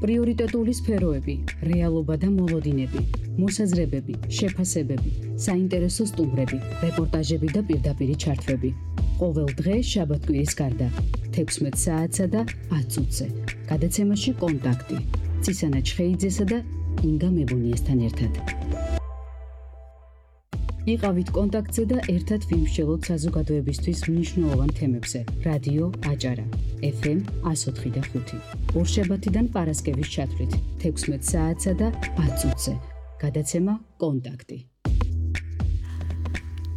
პრიორიტეტული სფეროები, რეალობა და მოლოდინები, მოსაზრებები, შეფასებები, საინტერესო სტუმრები, რეპორტაჟები და პირდაპირი ჩართვები. ყოველ დღე შაბათ-კვირის გარდა 16 საათსა და 10 წუთზე. გადაცემაში კონტაქტი. ცისანა ჩხეიძესა და ინგა მებუნიესთან ერთად. იყავით კონტაქტზე და ერთად ვიმსჯელოთ საზოგადოებისთვის მნიშვნელოვან თემებზე. რადიო აჭარა, FM 104.5. ორშაბათიდან პარასკევის ჩათვლით 16 საათსა და 10 წუთზე. გადაცემა კონტაქტი.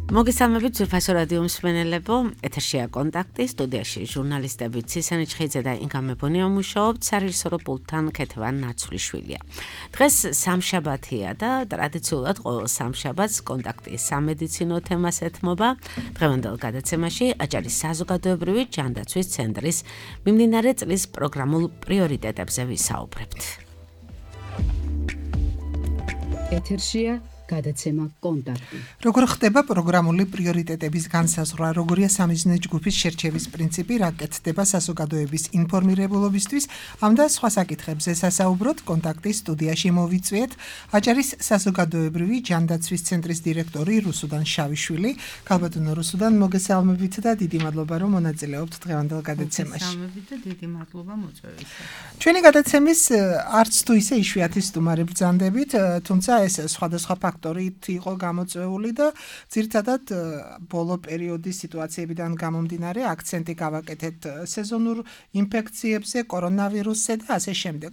მოგესალმებით ძვირფასო რადიო მსმენელებო, ეთერშია კონტაქტი, სტუდიაში ჟურნალისტები ცისანი ჩხეიძე და ინგა მებონია მუშაობთ, სარეჟისორო პულტთან ქეთევან ნაცვლიშვილია. დღეს სამშაბათია და ტრადიციულად ყოველ სამშაბათს კონტაქტი სამედიცინო თემას ეთმობა. დღევანდელ გადაცემაში აჭარის საზოგადოებრივი ჯანდაცვის ცენტრის მიმდინარე წლის პროგრამულ პრიორიტეტებზე ვისაუბრებთ. ეთერშია გადაცემა კონტაქტი. როგორ ხდება პროგრამული პრიორიტეტების განსაზღვრა, როგორია სამიზნე ჯგუფის შერჩევის პრინციპი, რა კეთდება საზოგადოების ინფორმირებულობისთვის, ამ და სხვა საკითხებზე სასაუბროთ კონტაქტის სტუდიაში მოვიწვიეთ აჭარის საზოგადოებრივი ჯანდაცვის ცენტრის დირექტორი რუსუდან შავიშვილი. ქალბატონო რუსუდან, მოგესალმებით და დიდი მადლობა რომ მონაწილეობთ დღევანდელ გადაცემაში. მოგესალმებით და დიდი მადლობა მოწვევისა. ჩვენი გადაცემის არც თუ ისე იშვიათი სტუმარი ბრძანდებით, თუმცა ეს სხვადასხვა ფაქტორით იყო გამოწვეული და ძირითადად ბოლო პერიოდის სიტუაციებიდან გამომდინარე აქცენტი გავაკეთეთ სეზონურ ინფექციებზე, კორონავირუსზე და ასე შემდეგ.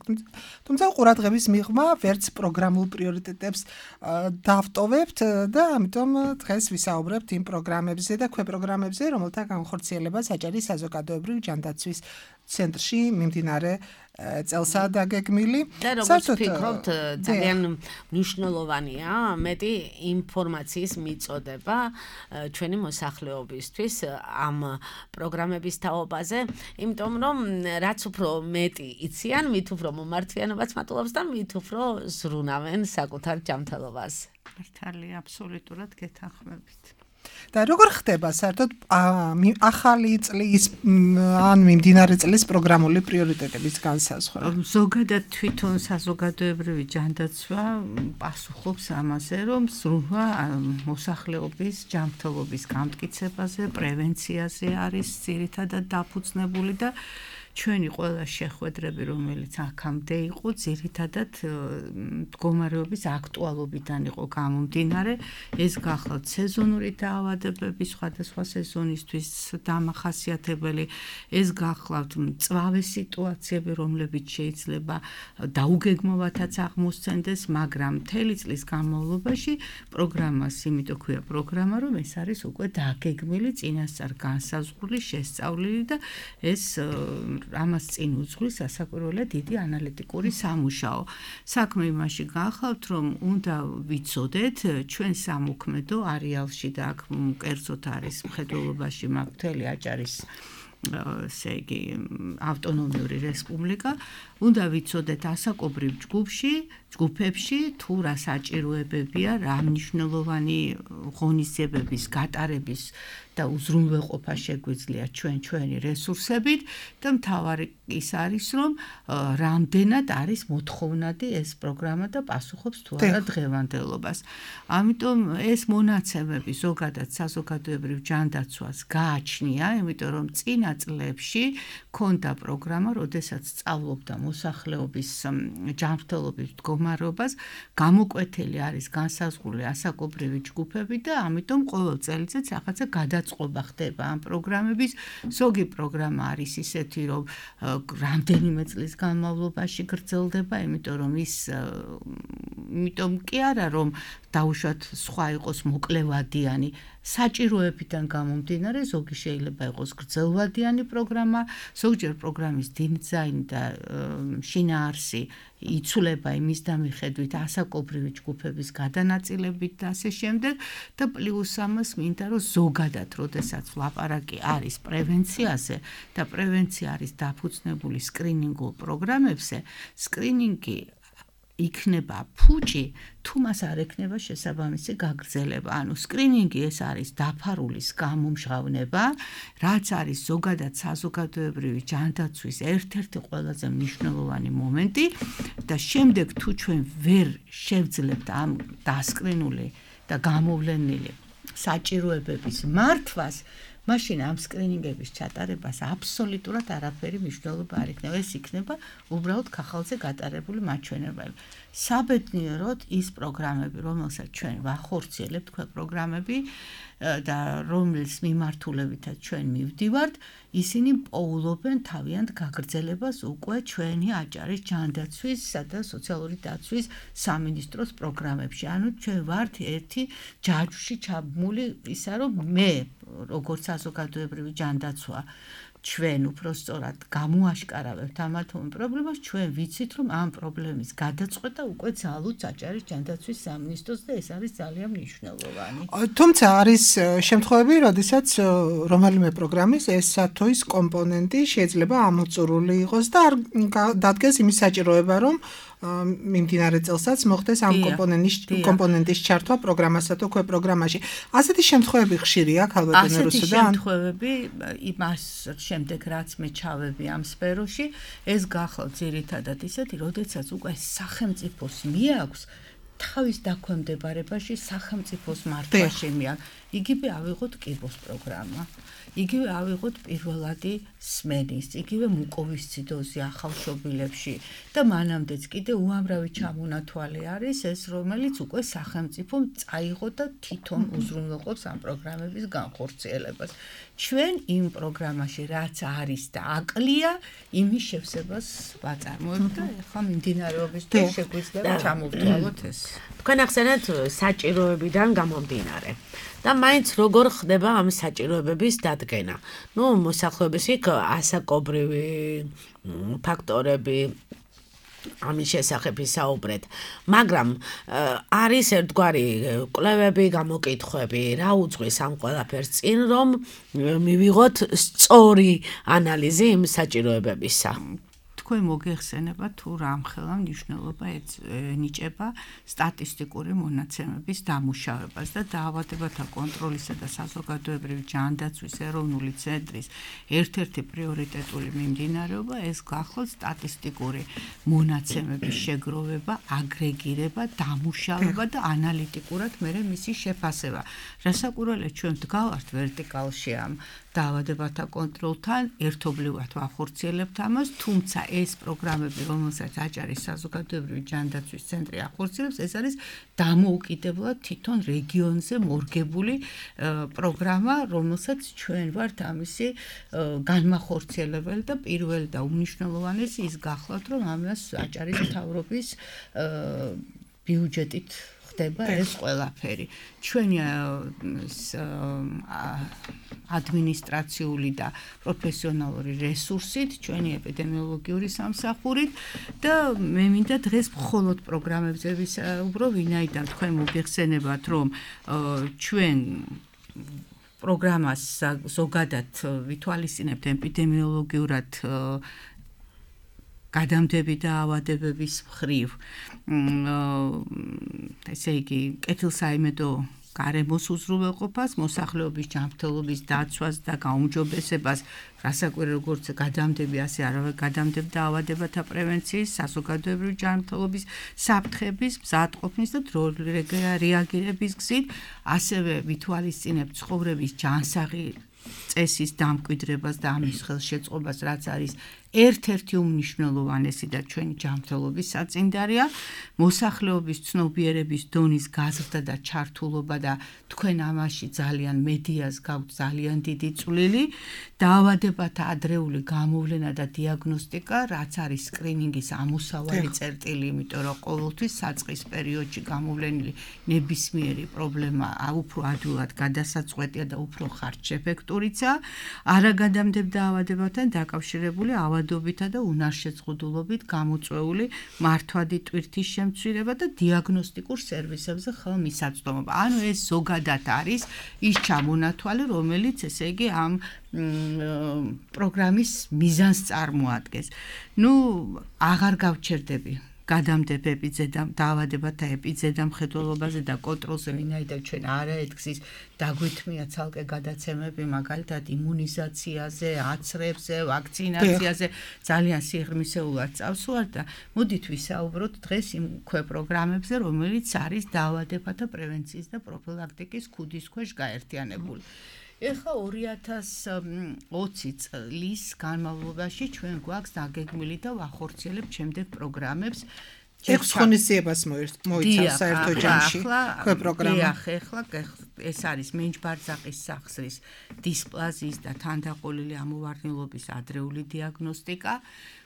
თუმცა ყურადღების მიღმა ვერც პროგრამულ პრიორიტეტებს დავტოვებთ და ამიტომ დღეს ვისაუბრებთ იმ პროგრამებზე და ქვეპროგრამებზე, რომელთა განხორციელებას აჭარის საზოგადოებრივი ჯანდაცვის ცენტრში მიმდინარე წელსაა დაგეგმილი. და როგორც ვფიქრობთ, ძალიან მნიშვნელოვანია მეტი ინფორმაციის მიწოდება ჩვენი მოსახლეობისთვის ამ პროგრამების თაობაზე, იმიტომ რომ რაც უფრო მეტი იციან, მით უფრო მომართვიანობაც მატულობს და მით უფრო ზრუნავენ საკუთარ ჯანმრთელობას. მართალია, აბსოლუტურად გეთანხმებით. და როგორ ხდება საერთოდ ახალი წლის ან მიმდინარე წლის პროგრამული პრიორიტეტების განსაზღვრა? ზოგადად თვითონ საზოგადოებრივი ჯანდაცვა პასუხობს ამაზე, რომ ზრუნვა მოსახლეობის ჯანმრთელობის გამტკიცებაზე, პრევენციაზე არის ძირითადად დაფუძნებული და ჩვენი ყველა შეხვედრები, რომელიც აქამდე იყო, ძირითადად მდგომარეობის აქტუალობიდან იყო გამომდინარე. ეს გახლავთ სეზონური დაავადებები, სხვადასხვა სეზონისთვის დამახასიათებელი, ეს გახლავთ მწვავე სიტუაციები, რომლებიც შეიძლება დაუგეგმოვათაც აღმოსცენდეს, მაგრამ მთელი წლის განმავლობაში პროგრამას, იმიტომ ქვია პროგრამა, რომ ეს არის უკვე დაგეგმილი, წინასწარ განსაზღვრული, შესწავლილი და ეს ამას წინ უძღვის სასაკვირველად დიდი ანალიტიკური სამუშაო. საქმე იმაში გახავთ, რომ უნდა ვიცოდეთ ჩვენ სამოქმედო არეალში და აქ კერძოდ არის მხედველობაში მთელი აჭარის ესე იგი ავტონომიური რესპუბლიკა, უნდა ვიცოდეთ ასაკობრივ ჯგუფებში თუ რა საჭიროებებია, რა მნიშვნელოვანი ღონისძიებების გატარების და უზრუნველყოფა შეგვიძლია ჩვენი რესურსებით და მთავარი ის არის, რომ რამდენად არის მოთხოვნადი ეს პროგრამა და პასუხობს თუ არა დღევანდელობას. ამიტომ ეს მონაცემები ზოგადად საზოგადოებრივ ჯანდაცვას გააჩნია, იმიტომ რომ წინა წლებში ქონდა პროგრამა, როდესაც სწავლობდა მოსახლეობის ჯანმრთელობის მდგომარეობას, გამოკვეთილი არის განსაზღვრული ასაკობრივი ჯგუფები და ამიტომ ყოველ წელიწადს რაღაცა გადაწყობა ხდება ამ პროგრამების. ზოგი პროგრამა არის ისეთი, რომ რამდენიმე წლის განმავლობაში გრძელდება, იმიტომ კი არა, რომ დაუშვათ სხვა იყოს მოკლევადიანი, საჭიროებიდან გამომდინარე, ზოგი შეიძლება იყოს გრძელვადიანი პროგრამა, ზოგჯერ პროგრამის დიზაინი და შინაარსი იცვლება იმის დამიხედვით ასაკობრივი ჯგუფების გადანაწილებით და ასე შემდეგ და პლუს ამას მინდა რომ ზოგადად, როდესაც ლაპარაკი არის პრევენციაზე და პრევენცია არის დაფუძნებული სკრინინგულ პროგრამებზე, სკრინინგი იქნება ფუჭი, თუ მას არ ექნება შესაბამისი გაგრძელება. ანუ სკრინინგი ეს არის დაფარული გამომჟღავნება, რაც არის ზოგადად საზოგადოებრივი ჯანდაცვის ერთ-ერთი ყველაზე მნიშვნელოვანი მომენტი და შემდეგ თუ ჩვენ ვერ შევძლებთ ამ დასკრინული და გამოვლენილი საჭიროებების მართვას, მაშინ ამ სკრინინგების ჩატარებას აბსოლუტურად არაფერი მნიშვნელობა არ იქნება. ეს იქნება უბრალოდ ქაღალდზე გატარებული მაჩვენებელი. საბედნიეროდ ის პროგრამები, რომელსაც ჩვენ ვახორციელებთ, თქვენ პროგრამები და რომლის მიმართულებითაც ჩვენ მივდივართ, ისინი პოულობენ თავიანთ გაგრძელებას უკვე ჩვენი აჭარის ჯანდაცვისა და სოციალური დაცვის სამინისტროს პროგრამებში. ანუ ჩვენ ვართ ერთი ჯაჭვში ჩაბმული ისა, რომ მე როგორც საზოგადოებრივი ჯანდაცვა ჩვენ უпростоრად გამოაშკარავებთ ამ პრობლემას, ჩვენ ვიცით, რომ ამ პრობლემის გადაწყვეტა უკვე ძალუც აჭარის ჯანდაცვის სამინისტროს და ეს არის ძალიან მნიშვნელოვანი. თუმცა არის შემთხვევები, როდესაც რომელიმე პროგრამის ესა თუ ის კომპონენტი შეიძლება ამოწურული იყოს და არ დადგეს იმის საჭიროება, რომ მიმდინარე წელსაც მოხდეს ამ კომპონენტის ჩართვა პროგრამასა თუ ქვე პროგრამაში. ასეთი შემთხვევები ხშირია ქალბატონო რუსო და ასეთი შემთხვევები იმას შემდეგ რაც მე ჩავები ამ სფეროში, ეს გახლავთ ძირითადად ისეთი, როდესაც უკვე სახელმწიფოს მიაქვს თავის დაქვემდებარებაში სახელმწიფოს მართვაში მიაქვს. იგივე ავიღოთ კიბოს პროგრამა. იგივე ავიღოთ პირველადი სმენის, იგივე მუკოვისციდოზი ახალშობილებში და მანამდეც კიდე უამრავი ჩამონათვალი არის ეს, რომელიც უკვე სახელმწიფომ წაიღო და თვითონ უზრუნველყოფს ამ პროგრამების განხორციელებას. ჩვენ იმ პროგრამაში რაც არის და აკლია, იმის შევსებას ვაწარმოებთ და ახლა მიმდინარეობის დროს შეგვიძლია ჩამოვთვალოთ ეს. თქვენ ახსენეთ საჭიროებიდან გამომდინარე. და მაინც როგორ ხდება ამ საჭიროებების დადგენა. მოსახლეობის იქ ასაკობრივი ფაქტორები ამის შესახებ ისაუბრეთ, მაგრამ არის ერთგვარი კვლევები, გამოკითხვები, რა უძღვის ამ ყველაფერს წინ, რომ მივიღოთ სწორი ანალიზი იმ საჭიროებებისა. თქვენ მოგეხსენება თუ რამხელა მნიშვნელობა ენიჭება სტატისტიკური მონაცემების დამუშავებას და დაავადებათა კონტროლისა და საზოგადოებრივი ჯანდაცვის ეროვნული ცენტრის ერთ-ერთი პრიორიტეტული მიმდინარეობა ეს გახლავთ სტატისტიკური მონაცემების შეგროვება, აგრეგირება, დამუშავება და ანალიტიკურად მერე მისი შეფასება. რასაკვირველია ჩვენ ვდგავართ ვერტიკალში ამ დაავადებათა კონტროლთან, ერთობლივად ვახორციელებთ ამას, თუმცა ეს პროგრამები, რომელსაც აჭარის საზოგადოებრივი ჯანდაცვის ცენტრი ახორციელებს, ეს არის დამოუკიდებლად თვითონ რეგიონზე მორგებული პროგრამა, რომელსაც ჩვენ ვართ ამისი განმახორციელებელი და პირველი და უმნიშვნელოვანესი ის გახლავთ, რომ ამას აჭარის მთავრობის ბიუჯეტით ხდება ეს ყველაფერი. ჩვენი ადმინისტრაციული და პროფესიონალური რესურსით, ჩვენი ეპიდემიოლოგიური სამსახურით და მე მინდა დღეს მხოლოდ პროგრამებზე ვისაუბრო, ვინაიდან თქვენ მოგეხსენებათ, რომ ჩვენ პროგრამას ზოგადად ვითვალისწინებთ ეპიდემიოლოგიურად გადამდები და ავადებების მხრივ. ესე იგი, კეთილსაიმედო გარემოს უზრუნველყოფას, მოსახლეობის ჯანმრთელობის დაცვას და გაუმჯობესებას, რასაკვირველია როგორც გადამდები, ასე არავე გადამდებ და ავადებათა პრევენციის, საზოგადოებრივი ჯანმრთელობის საფრთხების, მზადყოფნის და დროული რეაგირების გზით, ასევე ვითვალისწინებთ ცხოვრების ჯანსაღი წესის დამკვიდრებას და ამის ხელშეწყობას, რაც არის ერთ-ერთი უმნიშვნელოვანესი და ჩვენი ჯანმრთელობის საწინდარია, მოსახლეობის ცნობიერების დონის გაზრდა და ჩართულობა და თქვენ ამაში ძალიან მედიას გაქვთ ძალიან დიდი წვლილი, დაავადებათა ადრეული გამოვლენა და დიაგნოსტიკა, რაც არის სკრინინგის ამოსავალი წერტილი, იმიტომ რომ ყოველთვის საწყის პერიოდში გამოვლენილი ნებისმიერი პრობლემა უფრო ადვილად გადასაწყვეტია და უფრო ხარჯშეფექტურიცაა, არაგადამდებ დაავადებათან დაკავშირებული ავადობითა და უნარშეწყვეტილობით გამოწვეული მართვადი ტვირთის შემცირება და დიაგნოსტიკურ სერვისებზე ხელმისაწვდომობა. ანუ ეს ზოგადად არის ის ჩამონათვალი, რომელიც ესე იგი ამ პროგრამის მიზანს წარმოადგენს. აღარ გავჩერდები გადამდებები დაავადებათა ეპიდემიოლოგიაზე და კონტროლზე ვინაიდან ჩვენ არაერთგზის დაგვითმია ცალკე გადაცემები მაგალითად იმუნიზაციაზე, აცრებზე, ვაქცინაციაზე ძალიან სიღრმისეულად წავსვარ და მოდით ვისაუბროთ დღეს იმ პროგრამებზე, რომელიც არის დაავადებათა პრევენციის და პროფილაქტიკის ქუდის ქვეშ გაერთიანებული. ეხლა 2020 წლის განმავლობაში ჩვენ გვაქვს დაგეგმილი და ვახორციელებთ შემდეგ პროგრამებს. 6 ღონისძიებას მოიცავს საერთო ჯამში პროგრამა. ეხლა ეს არის მენჯბარძაყის სახსრის დისპლაზიის და თანდაყოლილი ამოვარდნილობის ადრეული დიაგნოსტიკა,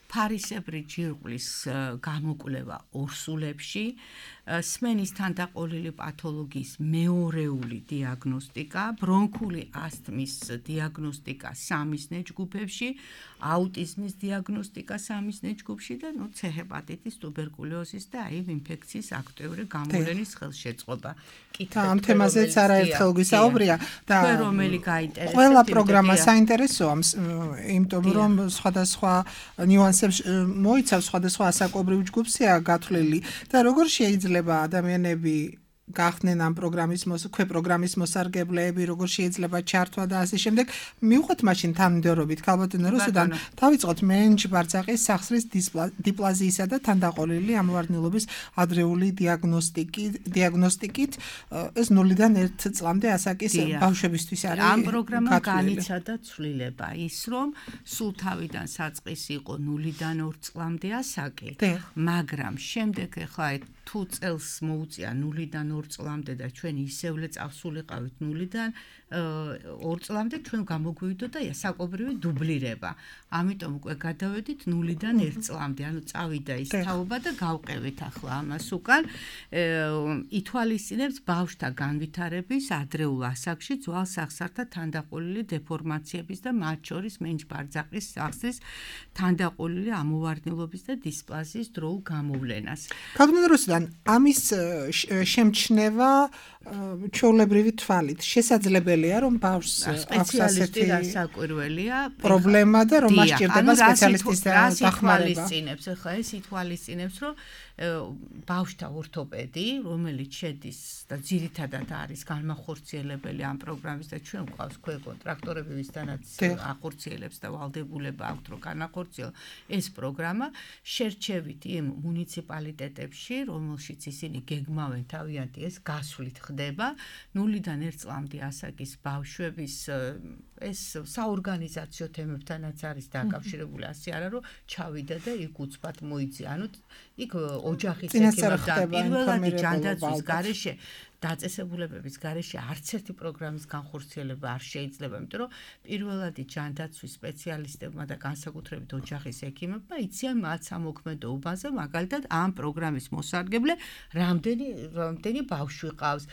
ფარისებრი ჯირკვლის გამოკვლევა ორსულებში, სმენის თანდაყოლილი პათოლოგიის მეორეული დიაგნოსტიკა, ბრონქული ასთმის დიაგნოსტიკა სამიზნე ჯგუფებში, აუტიზმის დიაგნოსტიკა სამიზნე ჯგუფში და ცეჰეპატიტის, ტუბერკულოზის და HIV ინფექციის აქტიური გამოვლენის ხელშეწყობა. ამ თემაზეც არაერთხელ გვისაუბრია და რომელი გაინტერესებს. ყველა პროგრამა საინტერესოა, იმიტომ რომ სხვადასხვა ნიუანსებს მოიცავს, სხვადასხვა ასაკობრივ ჯგუფზეა გათვლილი და როგორ შეიძლება ადამიანები გახდნენ ამ პროგრამის მოსარგებლეები, როგორ შეიძლება ჩართვა და ასე შემდეგ. მივხვდეთ მაშინ თანმიმდევრობით ქალბატონო რუსუდან დავიწყოთ მენჯბარძაყის სახსრის დისპლაზიისა და თანდაყოლილი ამოვარდნილობის ადრეული დიაგნოსტიკით ეს 0-დან 1 წლამდე ასაკის ბავშვებისთვის არის. ამ პროგრამამ განიცადა ცვლილება ის, რომ სულ თავიდან საწყის იყო 0-დან 2 წლამდე ასაკი, მაგრამ შემდეგ ახლა თუ წელს მოუწია 0-დან 2 წლამდე და ჩვენ ისევლე წავსულიყავით 0-დან 2 წლამდე ჩვენ გამოგვივიდოდა საკობრივი დუბლირება. ამიტომ უკვე გადავედით 0-დან 1 წლამდე, ანუ წავიდა ის თაობა და გავყევით ახლა ამას უკან. ითვალისწინებს ბავშვთა განვითარების ადრეულ ასაკში ძველ სახსართა თანდაყოლილი დეფორმაციების და მათ შორის მენჯბარძაყის სახსრის თანდაყოლილი ამოვარდნილობის და დისპლაზიის დროულ გამოვლენას. ქალბატონო რუსუდან, ამის შემჩნევა ჩვეულებრივი თვალით შესაძლებელია, რომ ბავშვს აქვს ასეთი საკვირველია პრობლემა და რომ მას სჭირდება სპეციალისტის დახმარება. ახლა ეს ითვალისწინებს, რომ ბავშვთა ორთოპედი, რომელიც შედის და ძირითადად არის განმახორციელებელი ამ პროგრამის და ჩვენ გვყავს კონტრაქტორები, ვისთანაც ახორციელებს და ვალდებულება აქვთ, რომ განახორციელოს ეს პროგრამა, შერჩევით იმ მუნიციპალიტეტებში, რომელშიც ისინი გეგმავენ თავიანთი ეს გასვლით ხდება 0-დან 1 წლამდე ასაკის ბავშვების ეს საორგანიზაციო თემებთანაც არის დაკავშირებული, ასე არა რომ ჩავიდა და იქ უცბად მოიძია. ანუ იქ ოჯახის ექიმებთან პირველადი ჯანდაცვის გარეშე დაწესებულებების გარეშე არც ერთი პროგრამის განხორციელება არ შეიძლება, იმიტომ რომ პირველადი ჯანდაცვის სპეციალისტებმა და განსაკუთრებით ოჯახის ექიმებმა იციან მათ სამოქმედოობაზე, მაგალითად ამ პროგრამის მოსარგებლე რამდენი ბავშვი ყავს.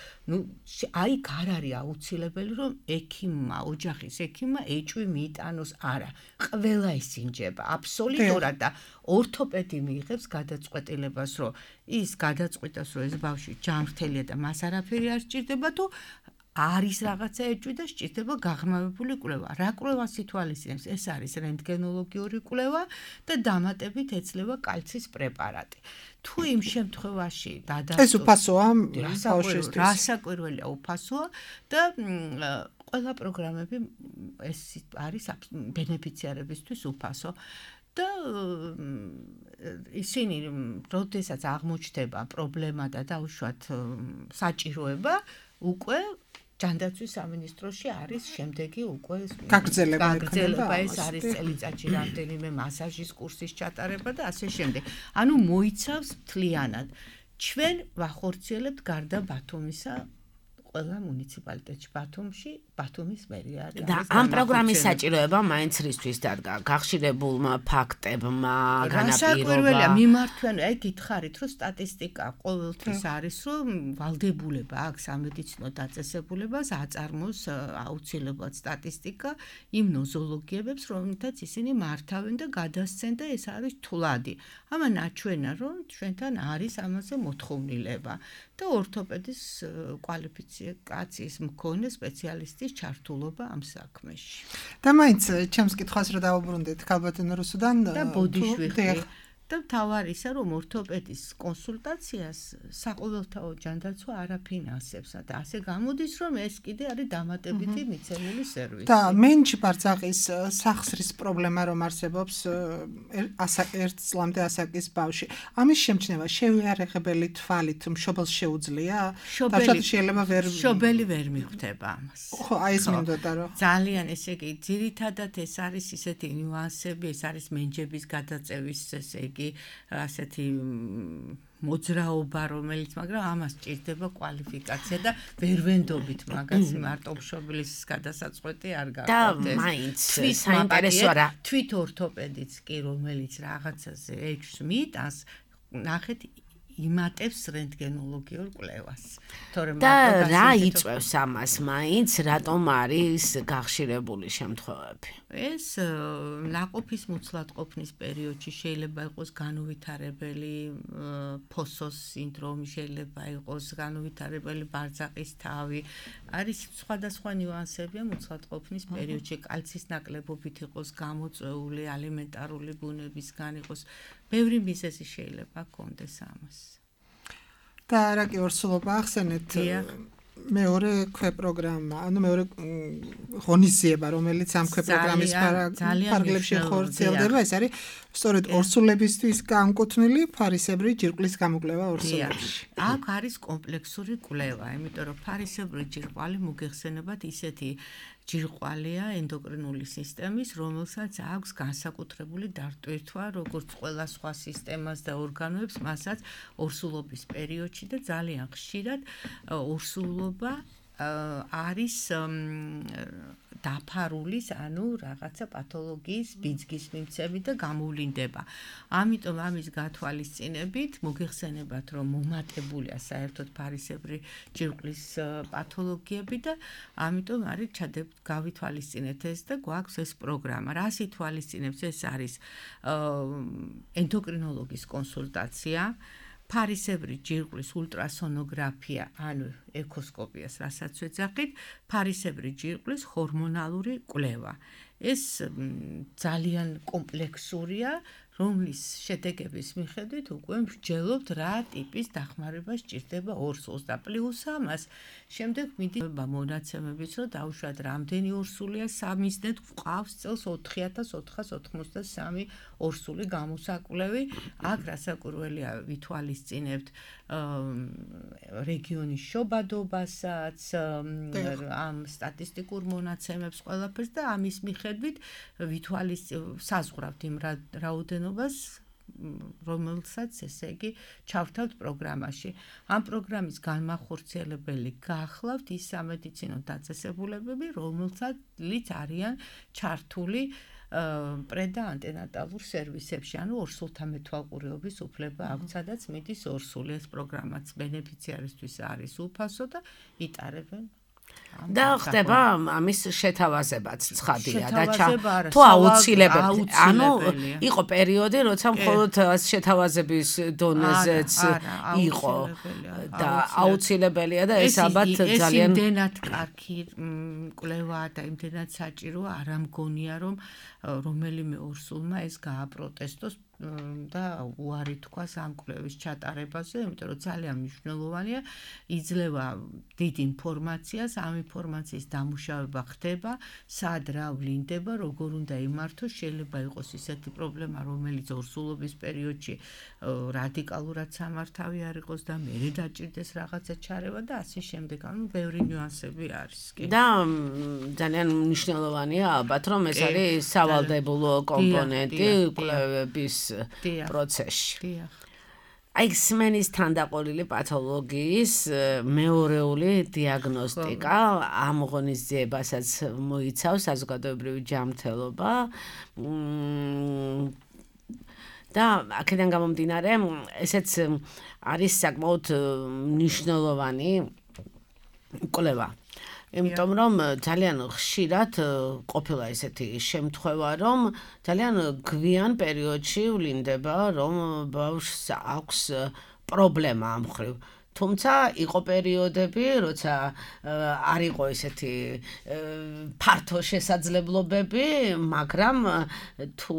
აი არ არის აუცილებელი რომ ექიმმა, ოჯახის ექიმმა ეჭვი მიიტანოს, არა. ყველა ისინჯება აბსოლუტურად და ორთოპედი მიიღებს გადაწყვეტილებას, რომ ის გადაწყვიტავს, რომ ეს ბავშვი ჯანმრთელია და მას არაფერი არ სჭირდება, თუ არის რაღაცა ეჭვი და სჭირდება გაღრმავებული კვლევა. რა კვლევას ითვალისწინებს? ეს არის რენტგენოლოგიური კვლევა და დამატებით ეცლება კალცის პრეპარატი. თუ იმ შემთხვევაში ეს უფასოა ბავშვისთვის? რასაკვირველია უფასოა და ყველა პროგრამები ეს არის ბენეფიციარებისთვის უფასო. და ისინი როდესაც აღმოჩნდება პრობლემა და დაუშვათ საჭიროება, უკვე ჯანდაცვის სამინისტროში არის შემდეგი უკვე გაგრძელება ეს არის წელიწადში რამდენიმე მასაჟის კურსის ჩატარება და ასე შემდეგ. ანუ მოიცავს მთლიანად. ჩვენ ვახორციელებთ გარდა ბათუმისა ყველა მუნიციპალიტეტში ბათუმის მერია არის. და ამ პროგრამის საჭიროება მაინც რისთვის დადგა? გახშირებულმა ფაქტებმა, განაპირობა. მიმართვენ, აი გითხარით, რომ სტატისტიკა ყოველთვის არის, რომ ვალდებულება აქვს სამედიცინო დაწესებულებას აწარმოოს აუცილებლად სტატისტიკა იმ ნოზოლოგიებებს, რომელთაც ისინი მართავენ და გადასცენ და ეს არის თვლადი. ამან აჩვენა, რომ ჩვენთან არის ამაზე მოთხოვნილება და ორთოპედის კვალიფიკაციის მქონე სპეციალისტის ჩართულობა ამ საქმეში. და მაინც ჩემს კითხვას რა დავუბრუნდეთ ქალბატონო რუსუდან და ბოდიშვიხი და თავარი ისა რომ ორთოპედის კონსულტაციას საყოველთაო ჯანდაცვა არ აფინანსებს და ასე გამოდის რომ ეს კიდე არის დამატებითი მიცემული სერვისი. და მენჩი ბარძაყის სახსრის პრობლემა რომ არსებობს ერთ წლამდე ასაკის ბავში. ამის შემჩნევა შევიარაღებელი თვალით მშობელს შეუძლია? მშობელი ვერ მიხვდება ამას. ხო, აი ეს მინდოდა რომ ძალიან ესე იგი ძირითადად ეს არის ისეთი ნიუანსები, ეს არის მენჯების გადაწევის ესე იგი ასეთი მოძრაობა რომელიც მაგრამ ამას ჭირდება კვალიფიკაცია და ვერ ვენდობით მაგას მარტო მშობლის გადასაწყვეტი არ გახდეს. და მაინც საინტერესოა რა თვით ორთოპედიც კი რომელიც რაღაცაზე ეჭვს მიიტანს ნახეთ იმატებს რენტგენოლოგიურ კვლევას. და რა იწვევს ამას მაინც რატომ არის გახშირებული შემთხვევები? ეს ნაყოფის მუცლადყოფნის პერიოდში შეიძლება იყოს განუვითარებელი ფოსოს სინდრომი, შეიძლება იყოს განუვითარებელი ბარძაყის თავი. არის სხვადასხვა ნიუანსებია მუცლადყოფნის პერიოდში, კალცის ნაკლებობით იყოს გამოწვეული, ალიმენტარული ბუნებისგან იყოს. ბევრი მიზეზი შეიძლება ჰქონდეს ამას. და რა კი ორსულობა ახსენეთ მეორე ქვეპროგრამა, ანუ მეორე ღონისძიება, რომელიც ამ ქვეპროგრამის ფარგლებში ხორციელდება, ეს არის სწორედ ორსულებისთვის განკუთვნილი ფარისებრი ჯირკვლის გამოკვლევა ორსულებში. აქ არის კომპლექსური კვლევა, იმიტომ რომ ფარისებრი ჯირკვალი მოგეხსენებათ ისეთი ჯირკვალია ენდოკრინული სისტემის, რომელსაც აქვს განსაკუთრებული დატვირთვა, როგორც ყველა სხვა სისტემას და ორგანოებს, მასაც ორსულობის პერიოდში და ძალიან ხშირად ორსულობა არის დაფარულის, ანუ რაღაცა პათოლოგიის ბიძგის მიმცემი და გამოვლინდება. ამიტომ ამის გათვალისწინებით მოგეხსენებათ, რომ მომატებულია საერთოდ ფარისებრი ჯირკვლის პათოლოგიები და ამიტომ არის გავითვალისწინეთ ეს და გვაქვს ეს პროგრამა. რას ითვალისწინებს? ეს არის ენდოკრინოლოგის კონსულტაცია, ფარისებრი ჯირკვლის ულტრასონოგრაფია, ანუ ეკოსკოპიას, რასაც ვეძახით, ფარისებრი ჯირკვლის ჰორმონალური კვლევა. ეს ძალიან კომპლექსურია, რომლის შედეგების მიხედვით უკვე ვსჯელობთ რა ტიპის დახმარება სჭირდება ორსულს და პლუს ამას შემდეგ მიდის მონაცემებიც, რომ დაუშვათ რამდენი ორსულია სამიზნედ გვყავს წელს 4483 ორსული გამოსაკვლევი. აქ რასაკვირველია ვითვალისწინებთ რეგიონის შობადობასაც, ამ სტატისტიკურ მონაცემებს ყველაფერს და ამის მიხედვით საზღვრავთ იმ რაოდენობას, რომელსაც ესე იგი ჩავთავთ პროგრამაში. ამ პროგრამის განმახორციელებელი გახლავთ ის სამედიცინო დაწესებულებები, რომელსაც არიან ჩართული პრე და ანტენატალურ სერვისებში, ანუ ორსულთა მეთვალყურეობის უფლება აქვთ, სადაც მიდის ორსული. ეს პროგრამაც ბენეფიციარისთვის არის უფასო და იტარებენ. და ხდება ამის შეთავაზებაც ცხადია და თუ აუცილებელი, ანუ იყო პერიოდი, როცა მხოლოდ შეთავაზების დონეზეც იყო და აუცილებელია და ეს ალბათ ძალიან იმდენად კარგი კვლევაა და იმდენად საჭიროა, არ ამგონია რომ რომელიმე ორსულმა ეს გააპროტესტოს და უარი თქვას ამ კვლევის ჩატარებაზე, იმიტომ რომ ძალიან მნიშვნელოვანია, იძლევა დიდ ინფორმაციას, ამ ინფორმაციის დამუშავება ხდება, სად რა ვლინდება, როგორ უნდა იმართოს, შეიძლება იყოს ისეთი პრობლემა, რომელიც ორსულობის პერიოდში რადიკალურად სამართავი არ იყოს და მერე დაჭირდეს რაღაცა ჩარევა და ასე შემდეგ, ანუ ბევრი ნიუანსები არის. და ძალიან მნიშვნელოვანია ალბათ, რომ ეს არის სავალდებულო კომპონენტი კვლევების პროცესში. აი სმენის თანდაყოლილი პათოლოგიის მეორეული დიაგნოსტიკა ამ ღონისძიებასაც მოიცავს საზოგადოებრივი ჯანმრთელობა და აქედან გამომდინარე ესეც არის საკმაოდ მნიშვნელოვანი კვლევა. იმიტომ რომ ძალიან ხშირად ყოფილა ესეთი შემთხვევა, რომ ძალიან გვიან პერიოდში ვლინდება, რომ ბავშვს აქვს პრობლემა ამ მხრივ თუმცა იყო პერიოდები, როცა არ იყო ესეთი ფართო შესაძლებლობები, მაგრამ თუ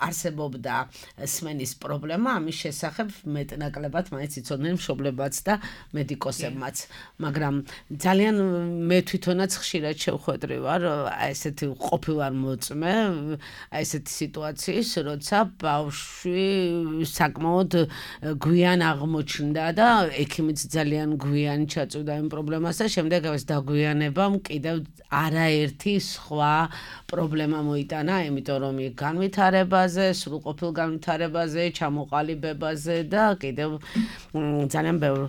არსებობდა სმენის პრობლემა, ამის შესახებ მეტნაკლებად მაინც იცოდნენ მშობლებაც და მედიკოსებმაც. მაგრამ ძალიან მე თვითონაც ხშირად შევხვედრი ვარ ესეთი ყოფილარ მოწმე, ესეთი სიტუაციის, როცა ბავშვი საკმაოდ გვიან აღმოჩნდა და ექიმიც ძალიან გვიან ჩაწვდა იმ პრობლემას და შემდეგ ეს დაგვიანებამ კიდევ არაერთი სხვა პრობლემა მოიტანა, იმიტომ რომ იქ განვითარებაზე, სრულყოფილ განვითარებაზე, ჩამოყალიბებაზე და კიდევ ძალიან ბევრ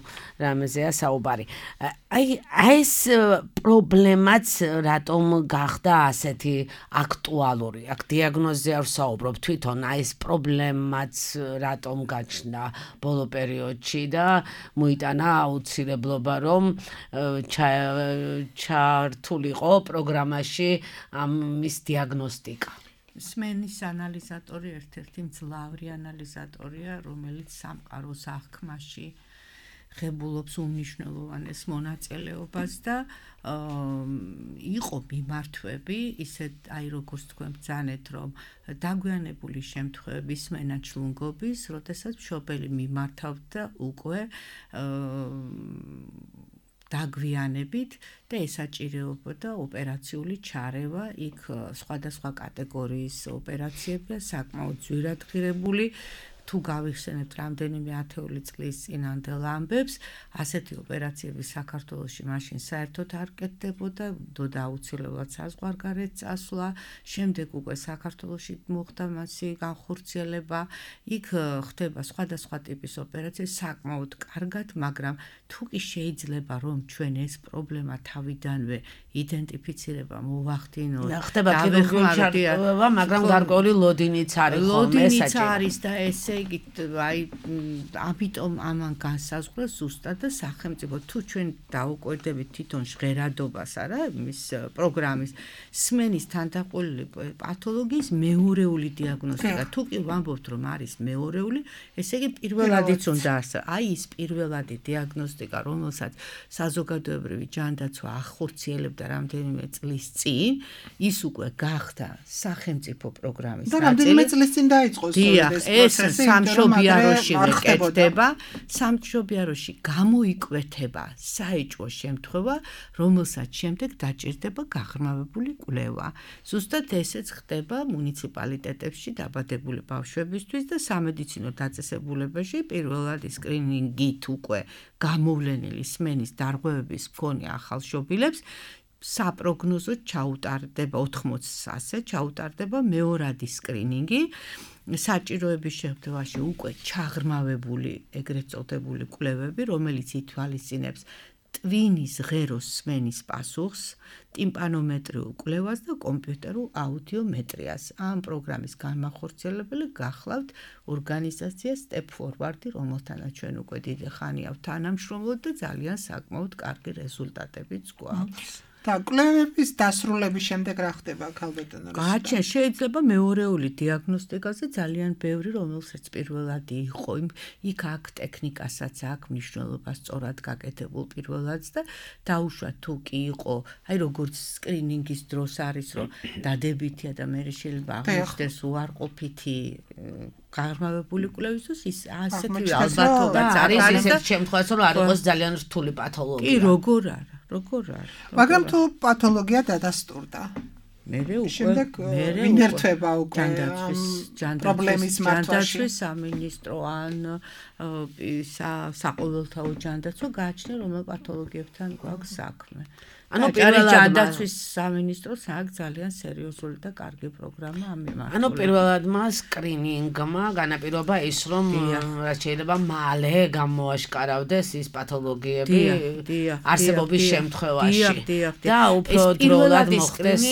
რამეზეა საუბარი. აი ეს პრობლემაც რატომ გახდა ასეთი აქტუალური? აქ დიაგნოზზე არ ვსაუბრობ, თვითონ აი ეს პრობლემაც რატომ გაჩნდა ბოლო პერიოდში და მოიტანა აუცილებლობა რომ ჩართულიყო პროგრამაში ამის დიაგნოსტიკა. სმენის ანალიზატორი ერთ-ერთი მძლავრი ანალიზატორია, რომელიც სამყაროს აღქმაში ღებულობს უმნიშვნელოვანეს მონაწილეობას და იყო მიმართვები, ისეთ აი როგორც თქვენ ბრძანეთ, რომ დაგვიანებული შემთხვევების სმენა ჩლუნგობის, როდესაც მშობელი მიმართავდა უკვე დაგვიანებით და ესაჭიროებოდა ოპერაციული ჩარევა, იქ სხვადასხვა კატეგორიის ოპერაციებია საკმაოდ ძვირად ღირებული. თუ გავიხსენებთ რამდენიმე ათეული წლის წინანდელ ამბებს, ასეთი ოპერაციები საქართველოში მაშინ საერთოდ არ კეთდებოდა, და აუცილებლად საზღვარგარეთ წასვლა, შემდეგ უკვე საქართველოში მოხდა მასი განხორციელება, იქ ხდება სხვადასხვა ტიპის ოპერაციები საკმაოდ კარგად, მაგრამ თუ კი შეიძლება რომ ჩვენ ეს პრობლემა თავიდანვე იდენტიფიცირება მოვახდინოთ, ხდება ქირურგიული ჩართულობა, მაგრამ გარკვეული ლოდინიც არის ხოლმე ესაჭიროება. არის და ესე იგი აი ამიტომ ამან განსაზღვრა ზუსტად და სახელმწიფო თუ ჩვენ დაუკვირდებით თვითონ ჟღერადობას არა მის პროგრამის სმენის თანდაყოლილი პათოლოგიის მეორეული დიაგნოსტიკა თუ კი ვამბობთ რომ არის მეორეული ესე იგი პირველადიც უნდა არსებობს აი ის პირველადი დიაგნოსტიკა რომელსაც საზოგადოებრივი ჯანდაცვა ახორციელებდა რამდენიმე წლის წინ ის უკვე გახდა სახელმწიფო პროგრამის და რამდენიმე წლის წინ დაიწყო ეს სამშობიაროში ვეკეთდება, სამშობიაროში გამოიკვეთება საეჭვო შემთხვევა, რომელსაც შემდეგ დაჭირდება გაღრმავებული კვლევა. ზუსტად ესეც ხდება მუნიციპალიტეტებში დაბადებული ბავშვებისთვის და სამედიცინო დაწესებულებაში პირველად სკრინინგით უკვე გამოვლენილი სმენის დარღვევების მქონე ახალშობილებს საპროგნოზო ჩაუტარდება 80-ზე ჩაუტარდება მეორადი სკრინინგი საჭიროების შემთხვევაში უკვე ჩაღრმავებული ეგრეთ წოდებული კვლევები რომელიც ითვალისწინებს ტვინის ღეროს სმენის პასუხს ტიმპანომეტრიულ კვლევას და კომპიუტერულ აუდიომეტრიას ამ პროგრამის განმახორციელებელი გახლავთ ორგანიზაცია Step Forward რომელთანაც ჩვენ უკვე დიდი ხანია თანამშრომლობთ და ძალიან საკმაოდ კარგი რეზულტატებიც გვაქვს და კვლევების დასრულების შემდეგ რა ხდება ქალბატონო? გაჩენ შეიძლება მეორეული დიაგნოსტიკაზე ძალიან ბევრი რომელსაც პირველად იყო იქ აქ ტექნიკასაც აქვს მნიშვნელობა სწორად გაკეთებულ პირველად და დაუშვათ თუ კი იყო აი როგორც სკრინინგის დროს არის რომ დადებითია და მე შეიძლება აღმოჩნდეს უარყოფითი გაღრმავებული კვლევისთვის ის ასეთი ალბათობაც არის ისეთ შემთხვევაში რომ არ იყოს ძალიან რთული პათოლოგია. კი როგორ არა მაგრამ თუ პათოლოგია დადასტურდა მერე უკვე ინერტვება უკვე პრობლემის მართვაში ჯანდაცვის სამინისტრო ან საყოველთაო ჯანდაცვა გააჩნია რომელ პათოლოგიებთან გვაქვს საქმე ანუ პირველად ჯანდაცვის სამინისტროს აქვს ძალიან სერიოზული და კარგი პროგრამა ამ მიმართულებით. ანუ პირველად მას სკრინინგმა განაპირობა ის რომ რაც შეიძლება მალე გამოაშკარავდეს ის პათოლოგიები არსებობის შემთხვევაში. და უფრო დროულად მოხდეს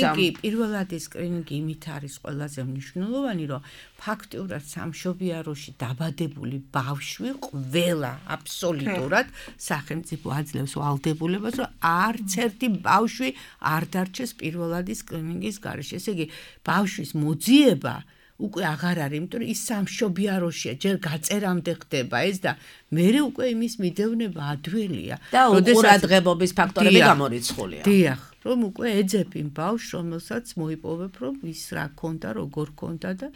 პირველადი სკრინინგი იმით არის ყველაზე მნიშვნელოვანი რომ ფაქტიურად სამშობიაროში დაბადებული ბავშვი ყველა აბსოლუტურად სახელმწიფო აძლევს ვალდებულებას რომ არც ერთი ბავშვი არ დარჩეს პირველადი სკრინინგის გარეშე. ესე იგი ბავშვის მოძიება უკვე აღარ არის, იმიტომ რომ ის სამშობიაროშია, ჯერ გაწერამდე ხდება ეს და მე უკვე იმის მიდევნება ადველია. და უყურადღებობის ფაქტორები გამორიცხულია. დიახ, რომ უკვე ეძებ იმ ბავშვს, რომელსაც მოიპოვებ, რომ ის რა ქონდა, როგორ ქონდა და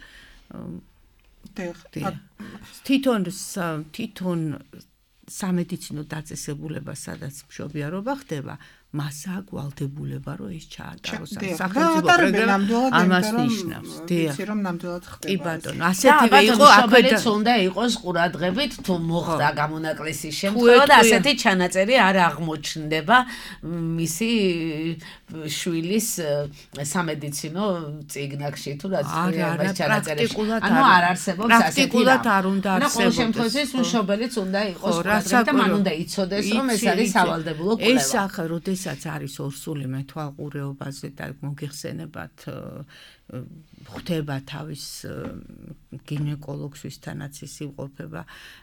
თვითონ სამედიცინო დაწესებულება, სადაც მშობიარობა ხდება, მასაა გვალდებულება, რომ ეს ჩაატაროს სახელმწიფო პროგრამა ამას ნიშნავს. ვიცი რომ ნამდვილად ხდება. კი ბატონო, ასეთივე იყო აკადემიაც უნდა იყოს ყურადღებით თუ მოხდა გამონაკლისის შემთხვევა და ასეთი ჩანაწერი არ აღმოჩნდება მისი შვილის სამედიცინო წიგნებში თუ რაც ეს ჩანაწერი. ანუ არ არსებობს ასეთი. პრაქტიკულად არ უნდა არსებობდეს. და ყოველ შემთხვევაში მშობელიც უნდა იყოს ყურადღებით და მან უნდა იცოდეს რომ ეს არის სავალდებულო კვლევა. ეს ახლა როდესაც არის ორსული მეთვალყურეობაზე და მოგიხსენებათ ხვდება თავის გინეკოლოგს ვისთანაც ის იმყოფება